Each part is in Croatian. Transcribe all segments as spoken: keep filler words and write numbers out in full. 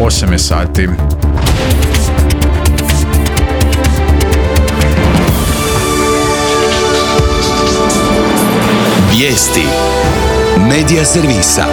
osam je sati. Vijesti Medija servisa.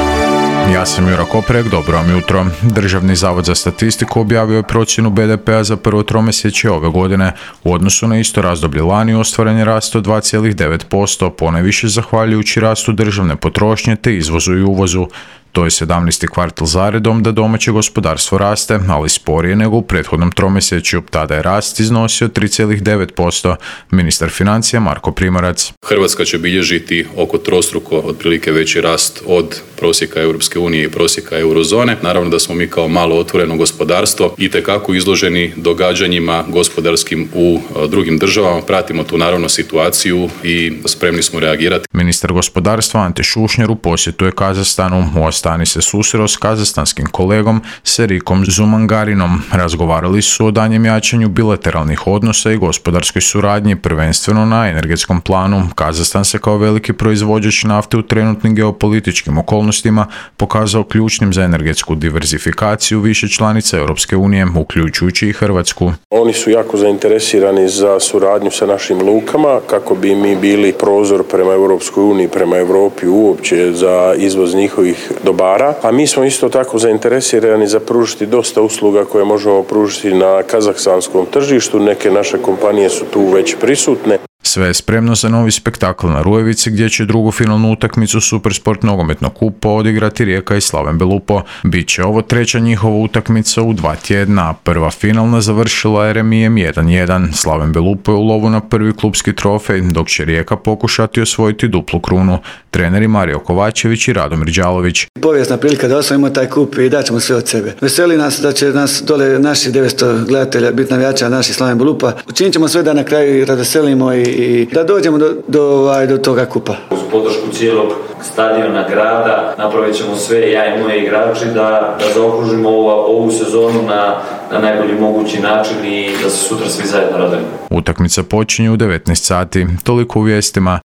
Ja sam Jura Koprek, dobro vam jutro. Državni zavod za statistiku objavio je procjenu be de pea za prvo tromjesečje ove godine. U odnosu na isto razdoblje lani ostvaren je rast od dva zarez devet posto, ponajviše zahvaljujući rastu državne potrošnje te izvozu i uvozu. To je sedamnaesti kvartal zaredom da domaće gospodarstvo raste, ali sporije nego u prethodnom tromjesečju. Tada je rast iznosio tri zarez devet posto. Ministar financija Marko Primorac. Hrvatska će bilježiti oko trostruko otprilike veći rast od prosjeka Europske unije i prosjeka eurozone. Naravno da smo mi kao malo otvoreno gospodarstvo itekako izloženi događanjima gospodarskim u drugim državama. Pratimo tu naravno situaciju i spremni smo reagirati. Ministar gospodarstva Ante Šušnjar u posjetu je Kazahstanu. U Astani se susreo s kazahstanskim kolegom Serikom Zumangarinom. Razgovarali su o danjem jačanju bilateralnih odnosa i gospodarskoj suradnji, prvenstveno na energetskom planu. Kazahstan se kao veliki proizvođač nafte u trenutnim geopolitičkim okolnostima pokazao ključnim za energetsku diverzifikaciju više članica Europske unije, uključujući i Hrvatsku. Oni su jako zainteresirani za suradnju sa našim lukama kako bi mi bili prozor prema Europskoj uniji, prema Europi uopće za izvoz njihovih dobara, a mi smo isto tako zainteresirani za pružiti dosta usluga koje možemo pružiti na kazahstanskom tržištu. Neke naše kompanije su tu već prisutne. Sve je spremno za novi spektakl na Rujevici gdje će drugu finalnu utakmicu Supersport nogometnog kupa odigrati Rijeka i Slaven Belupo. Biće ovo treća njihova utakmica u dva tjedna. Prva finalna završila je remijem jedan jedan. Slaven Belupo je u lovu na prvi klupski trofej, dok će Rijeka pokušati osvojiti duplu krunu. Treneri Mario Kovačević i Radomir Đalović. Povijesna prilika da osvojimo taj kup i daćemo sve od sebe. Veseli nas da će nas dole naši devetsto gledatelja biti navijača naši Slaven Belupa. Učinit ćemo sve da na kraju razveselimo i i da dođemo do, do, do, do toga kupa. Uz podršku cijelog stadiona grada napravit ćemo sve, ja i moji igrači, da, da zaokružimo ovu, ovu sezonu na, na najbolji mogući način i da se sutra svi zajedno radimo. Utakmica počinje u devetnaest sati. Toliko u vijestima.